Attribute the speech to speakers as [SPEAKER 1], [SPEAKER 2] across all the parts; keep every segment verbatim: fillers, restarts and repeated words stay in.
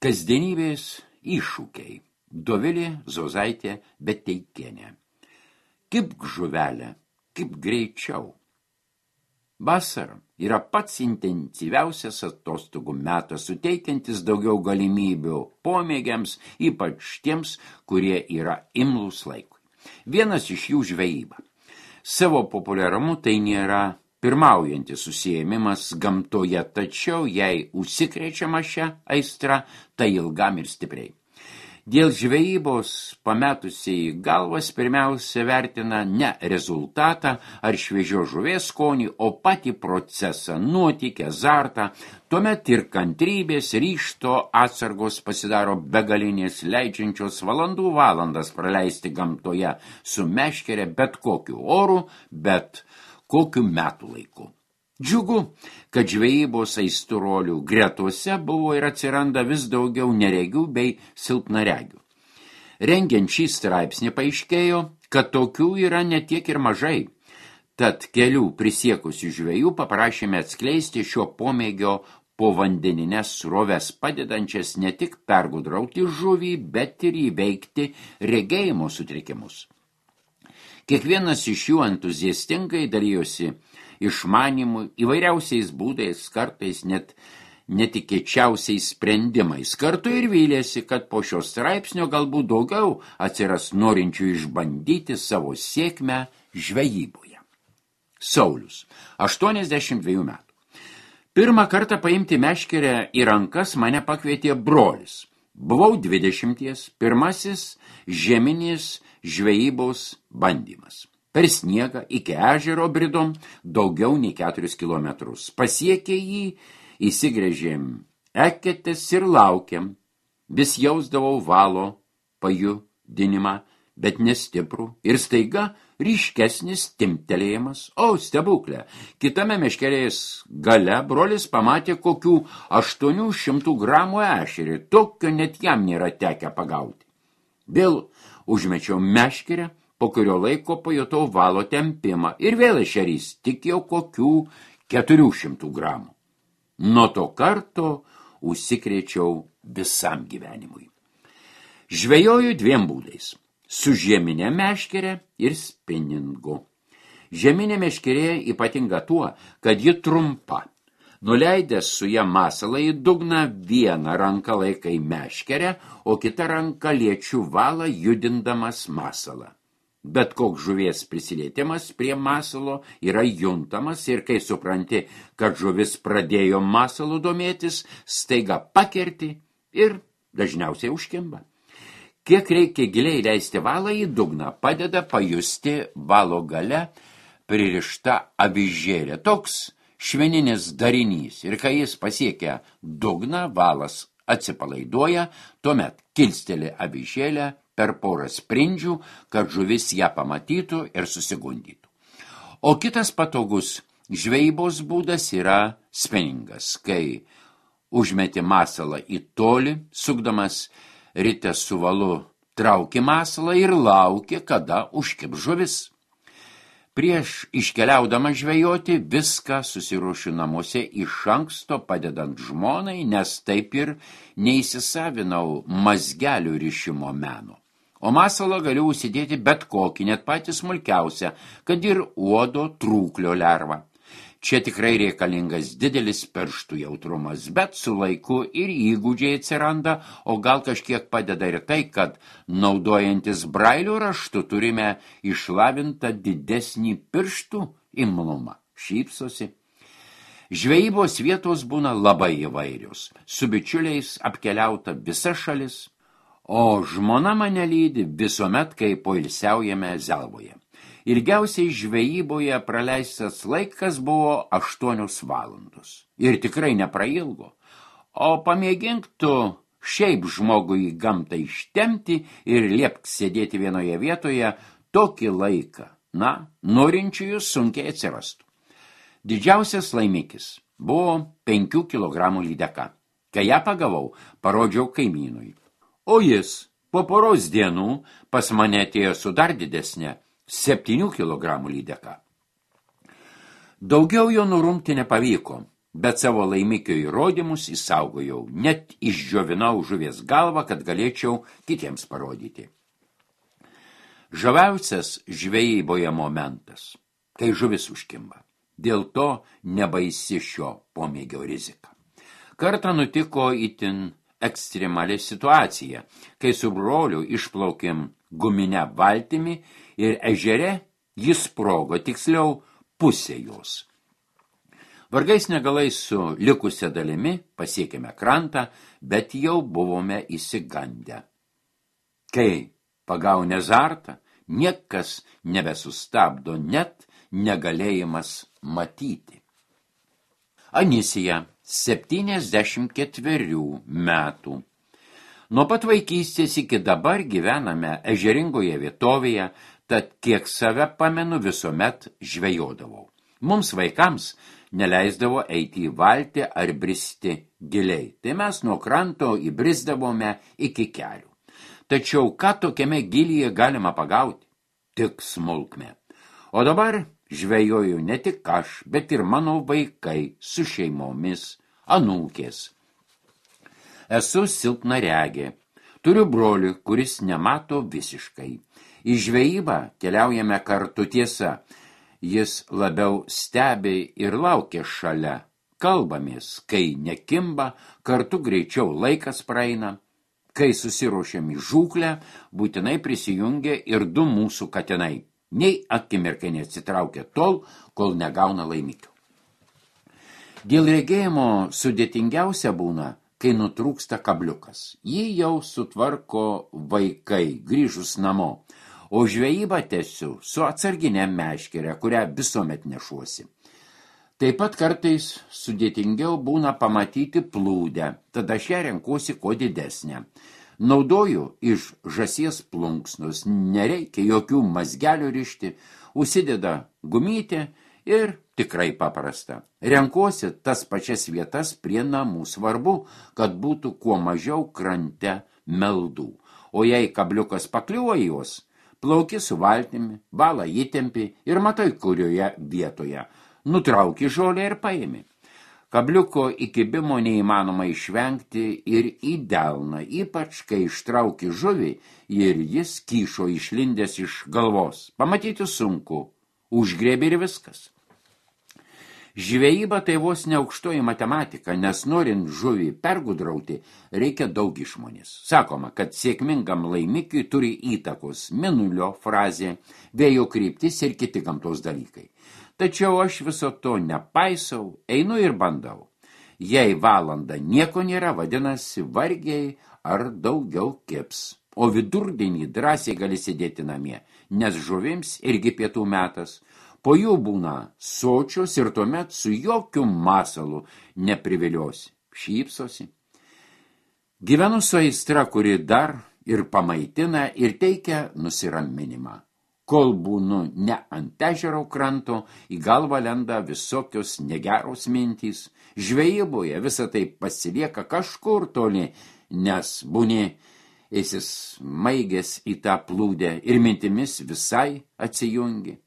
[SPEAKER 1] Kasdienybės iššūkiai. Dovilė Zozaitė Beteikienė. Kibk žuvelė, kibk greičiau. Vasara yra pats intensyviausias atostogų metas, suteikiantis daugiau galimybių pomėgiams, ypač tiems, kurie yra imlūs laikui. Vienas iš jų žvejyba. Savo populiarumu tai nėra pirmaujantis užsiėmimas gamtoje, tačiau jei užsikrečiama šią aistrą, tai ilgam ir stipriai. Dėl žvejybos pametusiai galvas pirmiausia vertina ne rezultatą ar šviežio žuvės skonį, o patį procesą, nuotykį, azartą. Tuomet ir kantrybės, ryžto atsargos pasidaro begalinės, leidžiančios valandų valandas praleisti gamtoje su meškere bet kokiu oru, bet kokiu metų laiku. Džiugu, kad žvejybos aistruolių gretose buvo ir atsiranda vis daugiau neregių bei silpnaregių. Rengiant šį straipsnį paaiškėjo, kad tokių yra ne tiek ir mažai. Tad kelių prisiekusių žvejų paprašėme atskleisti šio pomėgio povandeninės sroves, padedančias ne tik pergudrauti žuvį, bet ir įveikti regėjimo sutrikimus. Kiekvienas iš jų entuziastingai dalijosi išmanimu įvairiausiais būdais, kartais net netikėčiausiais sprendimais. Kartu ir vylėsi, kad po šio straipsnio galbūt daugiau atsiras norinčių išbandyti savo sėkmę žvejyboje. Saulius, aštuoniasdešimt dviejų metų. Pirmą kartą paimti meškerę į rankas mane pakvietė brolis. Buvau dvidešimties, pirmasis žeminis žvejybos bandymas. Per sniegą iki ežero bridom daugiau nei keturis kilometrus. Pasiekė jį, įsigręžėm eketės ir laukiam. Vis jausdavau valo pajudinimą, bet nestiprų. Ir staiga ryškesnis timptelėjimas. O, stebuklė! Kitame meškerės gale brolis pamatė kokių aštuonių šimtų gramų ešerį. Tokio net jam nėra tekę pagauti. Vėl užmečiau meškerę, po kurio laiko pajutau valo tempimą ir vėl ešerys, tik jau kokių keturių šimtų gramų. Nuo to karto užsikrėčiau visam gyvenimui. Žvejoju dviem būdais – su žieminė meškerė ir spiningu. Žieminė meškerė ypatinga tuo, kad ji trumpa. Nuleidęs su ją masalą į dugną, vieną ranką laikai meškerę, o kitą ranką liečiu valą judindamas masalą. Bet koks žuvies prisilietimas prie masalo yra juntamas ir kai supranti, kad žuvis pradėjo masalu domėtis, staiga pakerti ir dažniausiai užkimba. Kiek reikia giliai leisti valą į dugną, padeda pajusti valo gale pririšta avižėlė. Toks šveninis darinys ir kai jis pasiekia dugną, valas atsipalaiduoja, tuomet kilsteli avižėlę per porą sprindžių, kad žuvis ją pamatytų ir susigundytų. O kitas patogus žvejybos būdas yra spiningas, kai užmeti masalą į tolį, sukdamas ritę su valu, trauki masalą ir lauki, kada užkib žuvis. Prieš iškeliaudama žvejoti viską susiruošiu namuose iš anksto padedant žmonai, nes taip ir neįsisavinau mazgelių rišimo meno. O masalą galiu užsidėti bet kokį, net patį smulkiausią, kad ir uodo trūklio lervą. Čia tikrai reikalingas didelis pirštų jautrumas, bet su laiku ir įgūdžiai atsiranda, o gal kažkiek padeda ir tai, kad naudojantis brailio raštu turime išlavintą didesnį pirštų imlumą. Šypsosi. Žvejybos vietos būna labai įvairios. Su bičiuliais apkeliauta visa šalis, o žmona mane lydi visuomet, kai poilsiaujame Zelvoje. Ilgiausiai žvejyboje praleistas laikas buvo aštuonios valandos. Ir tikrai neprailgo. O pamėgink tu šiaip žmogui į gamtą ištemti ir liepk sėdėti vienoje vietoje tokį laiką. Na, norinčiųjų sunkiai atsirastų. Didžiausias laimikis buvo penkių kilogramų lydeka. Kai ją pagavau, parodžiau kaimynui. O jis po poros dienų pas mane atėjo su dar didesnė septynių kilogramų lydeka. Daugiau jo nurungti nepavyko. bet savo laimikio įrodymus įsaugojau, net išdžiovinau žuvies galvą, kad galėčiau kitiems parodyti. Žaviausias žvejyboje momentas, kai žuvis užkimba. Dėl to nebaisi šio pomėgio rizika. Kartą nutiko itin ekstremali situacija, kai su broliu išplaukėm guminę valtimi ir ežere jis sprogo, tiksliau pusė jos. Vargais negalais su likusia dalimi pasiekėme krantą, bet jau buvome įsigandę. Kai pagaunė azartą, niekas nebesustabdo, net negalėjimas matyti. Anisija, septyniasdešimt ketverių metų. Nuo pat vaikystės iki dabar gyvename ežeringoje vietovėje, tad kiek save pamenu visuomet žvejodavau. Mums vaikams neleisdavo eiti į valtį ar bristi giliai, tai mes nuo kranto įbrisdavome iki kelių. Tačiau ką tokiame gilyje galima pagauti? Tik smulkmę. O dabar žvejoju ne tik aš, bet ir mano vaikai su šeimomis, anūkės. Esu silpnaregė. Turiu brolį, kuris nemato visiškai. Į žvejybą keliaujame kartu, tiesa. Jis labiau stebi ir laukia šalia. Kalbamės, kai nekimba, kartu greičiau laikas praeina. Kai susiruošiam į žūklę, būtinai prisijungia ir du mūsų katinai. Nei akimirkai neatsitraukia tol, kol negauna laimikio. Dėl regėjimo sudėtingiausia būna, kai nutrūksta kabliukas. Jį jau sutvarko vaikai, grįžus namo, o žvejybą tęsiu su atsarginė meškere, kurią visuomet nešuosi. Taip pat kartais sudėtingiau būna pamatyti plūdę, tada aš ją renkuosi kuo didesnę. Naudoju iš žąsies plunksnos, nereikia jokių mazgelių rišti, užsideda gumytė ir tikrai paprasta. Renkuosi tas pačias vietas prie namų, svarbu, kad būtų kuo mažiau krante meldų. O jei kabliukas pakliuvo į juos, plauki su valtimi, valą įtempi ir matai kurioje vietoje. Nutrauki žolę ir paimi. Kabliuko įkibimo neįmanoma išvengti ir į delną, ypač kai ištrauki žuvį ir jis kyšo išlindęs iš galvos. Pamatyti sunku, užgrėbi ir viskas. Žvejyba tai vos ne aukštoji matematika, nes norint žuvį pergudrauti, reikia daug išmonės. Sakoma, kad sėkmingam laimikiui turi įtakos mėnulio frazė, vėjo kryptis ir kiti gamtos dalykai. Tačiau aš viso to nepaisau, einu ir bandau. Jei valandą nieko nėra, vadinasi vargiai ar daugiau kips. O vidurdienį drąsiai gali sėdėti namie, nes žuvims irgi pietų metas. Po jų būna sočios ir tuomet su jokiu masalu nepriviliosi. Šypsosi. Gyvenu su aistra, kuri dar ir pamaitina ir teikia nusiraminimą. Kol būnu ne ant ežero kranto, į galvą lenda visokios negeros mintys. Žvejyboje visą tai pasilieka kažkur toli, nes būni įsismaigęs į tą plūdę ir mintimis visai atsijungi.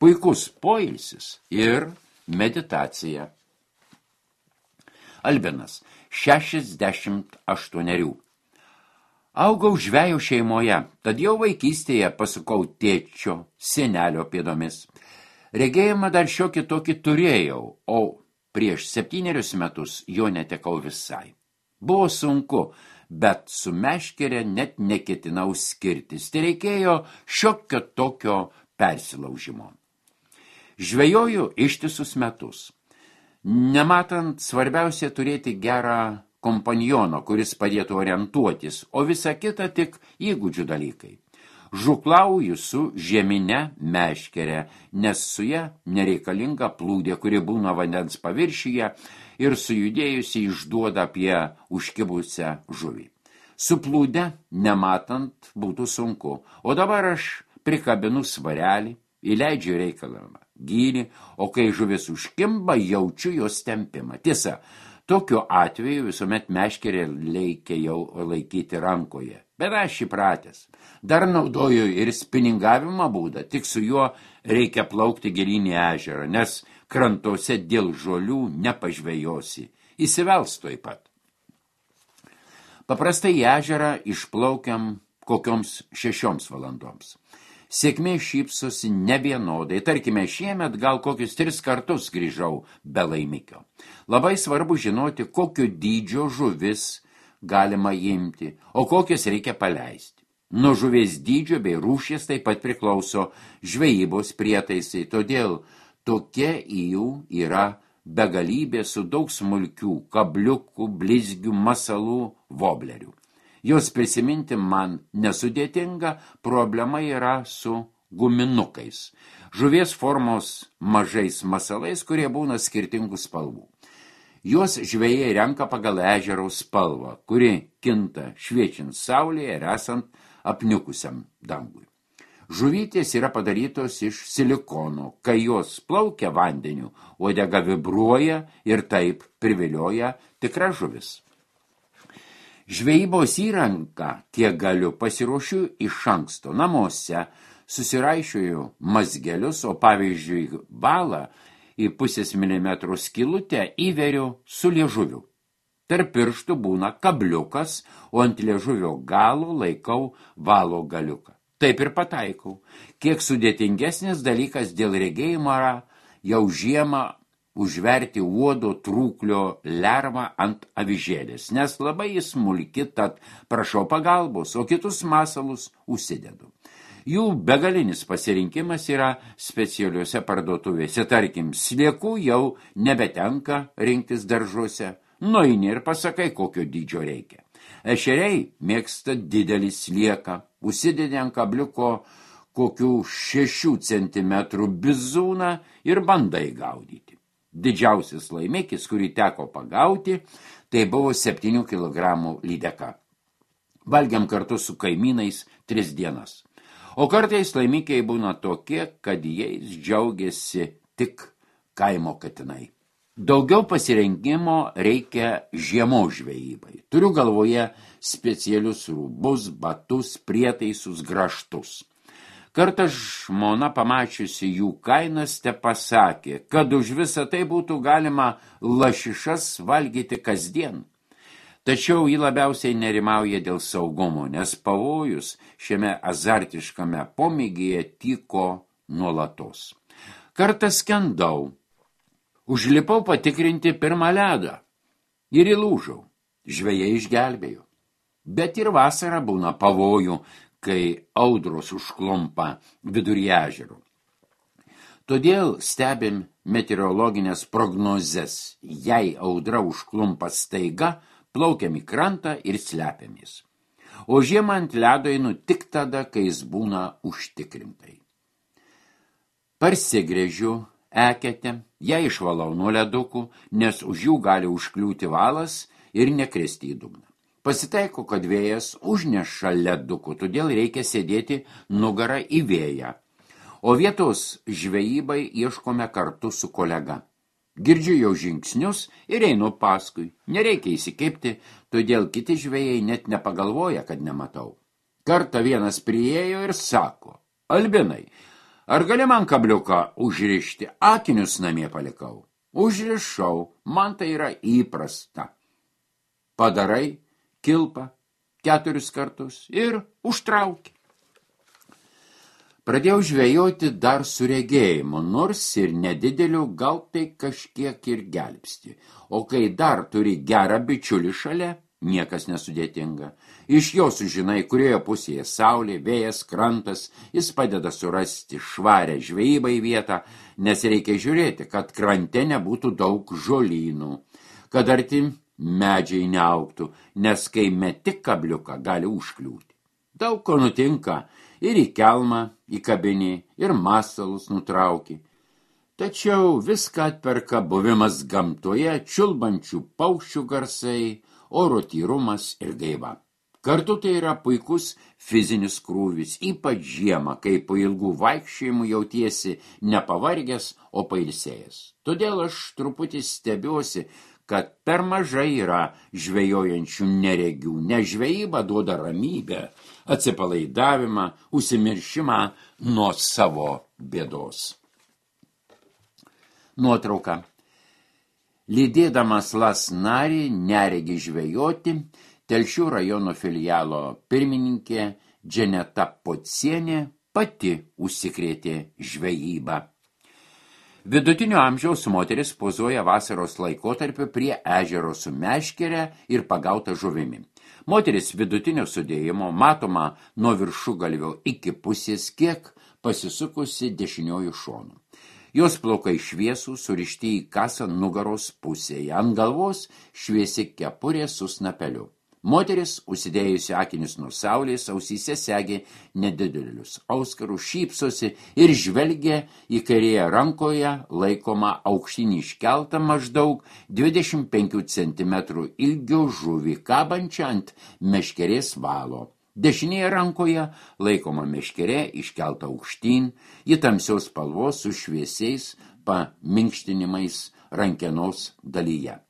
[SPEAKER 1] Puikus poilsis ir meditacija. Albinas, šešiasdešimt aštuonerių. Augau žvejo šeimoje, tad jau vaikystėje pasukau tėčio, senelio pėdomis. Regėjimą dar šiokį tokį turėjau, o prieš septynerius metus jo netekau visai. Buvo sunku, bet su meškere net neketinau skirtis. Tai reikėjo šiokio tokio persilaužimo. Žvejoju ištisus metus. Nematant, svarbiausia turėti gerą kompaniono, kuris padėtų orientuotis, o visa kita tik įgūdžių dalykai. Žuklauju su žieminė meškere, nes su ja nereikalinga plūdė, kuri būna vandens paviršyje ir sujudėjusi išduoda apie užkibusią žuvį. Su plūde, nematant, būtų sunku, o dabar aš prikabinu svarelį, įleidžiu reikalavimą gylį, o kai žuvis užkimba, jaučiu jos tempimą. Tiesa, tokiu atveju visuomet meškerė reikia jau laikyti rankoje, bet aš įpratęs. Dar naudoju ir spiningavimo būdą, tik su juo reikia plaukti gilyn į ežerą, nes krantuose dėl žolių nepažvejosi, įsivels tuoj pat. Paprastai į ežerą išplaukiam kokioms šešioms valandoms. Sėkmė šypsosi nevienodai, tarkime, šiemet gal kokius tris kartus grįžau be laimikio. Labai svarbu žinoti, kokio dydžio žuvis galima imti, o kokias reikia paleisti. Nuo žuvies dydžio bei rūšies taip pat priklauso žvejybos prietaisai, todėl tokia į jų yra begalybė su daug smulkių kabliukų, blizgių, masalų, voblerių. Jos prisiminti man nesudėtinga, problema yra su guminukais. Žuvies formos mažais masalais, kurie būna skirtingų spalvų. Juos žvejai renka pagal ežero spalvą, kuri kinta šviečiant saulėje ir esant apniukusiam dangui. Žuvytės yra padarytos iš silikono, kai jos plaukia vandeniu, uodega vibruoja ir taip privilioja tikra žuvis. Žvejybos įranką, kiek galiu, pasiruošiu iš anksto namuose, susiraišioju mazgelius, o pavyzdžiui valą į pusės milimetro skylutę įveriu su liežuviu. Tarp pirštų būna kabliukas, o ant liežuvio galo laikau valo galiuką. Taip ir pataikau. Kiek sudėtingesnis dalykas dėl regėjimo yra jau žiemą užverti uodo trūklio lervą ant avižėlės, nes labai jis smulki, tad prašau pagalbos, o kitus masalus užsidedu. Jų begalinis pasirinkimas yra specialiuose parduotuvėse, tarkim, sliekų jau nebetenka rinktis daržuose, nueini ir pasakai, kokio dydžio reikia. Ešeriai mėgsta didelį slieką, užsidedi ant kabliuko kokių šešių centimetrų bizūną ir bandai gaudyti. Didžiausias laimikis, kurį teko pagauti, tai buvo septynių kilogramų lydeka. Valgiam kartu su kaimynais tris dienas. O kartais laimikiai būna tokie, kad jais džiaugiasi tik kaimo katinai. Daugiau pasirengimo reikia žiemos žvejybai. Turiu galvoje specialius rūbus, batus, prietaisus, grąžtus. Kartą žmona pamačiusi jų kainas te pasakė, kad už visą tai būtų galima lašišas valgyti kasdien. Tačiau ji labiausiai nerimauja dėl saugumo, nes pavojus šiame azartiškame pomėgyje tyko nuolatos. Kartą skendau, užlipau patikrinti pirmą ledą ir įlūžau. Žvejai išgelbėjo. Bet ir vasarą būna pavojų, kai audros užklumpa vidury ežero. Todėl stebim meteorologinės prognozes. Jei audra užklumpa staiga, plaukiam į krantą ir slepiamės. O žiemą ant ledo einu tik tada, kai jis būna užtikrintai. Parsigrėžiu eketę, ją išvalau nuo ledukų, nes už jų gali užkliūti valas ir nekristi į dugną. Pasitaiko, kad vėjas užneša ledukų, todėl reikia sėdėti nugarą į vėją. O vietos žvejybai ieškome kartu su kolega. Girdžiu jau žingsnius ir einu paskui. Nereikia įsikibti, todėl kiti žvejai net nepagalvoja, kad nematau. Kartą vienas priėjo ir sako, Albinai, ar gali man kabliuką užrišti? Akinius namie palikau. Užrišau, man tai yra įprasta. Padarai kilpą keturis kartus ir užtrauki. Pradėjau žvejoti dar su regėjimu, nors ir nedideliu, gal tai kažkiek ir gelbsti. O kai dar turi gerą bičiulį šalia, niekas nesudėtinga. Iš jo sužinai, kurioje pusėje saulė, vėjas, krantas, jis padeda surasti švarę žvejybai vietą, nes reikia žiūrėti, kad krante nebūtų daug žolynų, kad arti medžiai neaugtų, nes kai meti kabliuką gali užkliūti. Daug ko nutinka, ir į kelmą, į kabinį, ir masalus nutrauki. Tačiau viską atperka buvimas gamtoje, čiulbančių paukščių garsai, oro tyrumas ir gaiva. Kartu tai yra puikus fizinis krūvis, ypač žiemą, kai po ilgų vaikščiojimų jautiesi nepavargęs, o pailsėjęs. Todėl aš truputį stebiuosi, kad per mažai yra žvejojančių neregių, nes žvejyba duoda ramybę, atsipalaidavimą, užsimiršimą nuo savo bėdos. Nuotrauka. Lydėdamas Lasnarį neregį žvejoti, Telšių rajono filialo pirmininkė Dženeta Pocienė pati užsikrėtė žvejybą. Vidutinio amžiaus moteris pozuoja vasaros laikotarpiu prie ežero su meškere ir pagauta žuvimi. Moteris vidutinio sudėjimo matoma nuo viršugalvio iki pusės, kiek pasisukusi dešiniojų šonu. Jos plaukai šviesų, surišti į kasą nugaros pusėje, ant galvos šviesi kepurė su snapeliu. Moteris, užsidėjusi akinius nuo saulės, ausyse segė nedidelius auskarus, šypsosi ir žvelgia į kairėje rankoje laikomą aukštinį iškeltą maždaug dvidešimt penkių centimetrų ilgio žuvį, kabančią ant meškerės valo. Dešinėje rankoje laikoma meškerė iškelta aukštyn, ji tamsios spalvos su šviesiais paminkštinimais rankenos dalyje.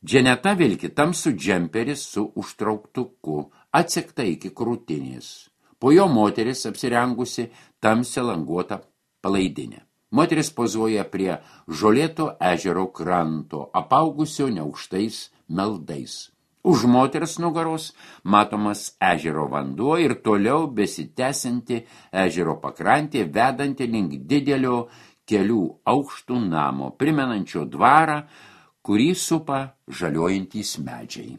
[SPEAKER 1] Dženeta vilki tamsų džemperis su užtrauktuku, atsekta iki krūtinės. Po jo moteris apsirengusi tamsią languotą palaidinę. Moteris pozuoja prie žolėto ežero kranto, apaugusio neaukštais meldais. Už moters nugaros matomas ežero vanduo ir toliau besitęsianti ežero pakrantė, vedanti link didelio kelių aukštų namo, primenančio dvarą, kurį supa žaliuojantys medžiai.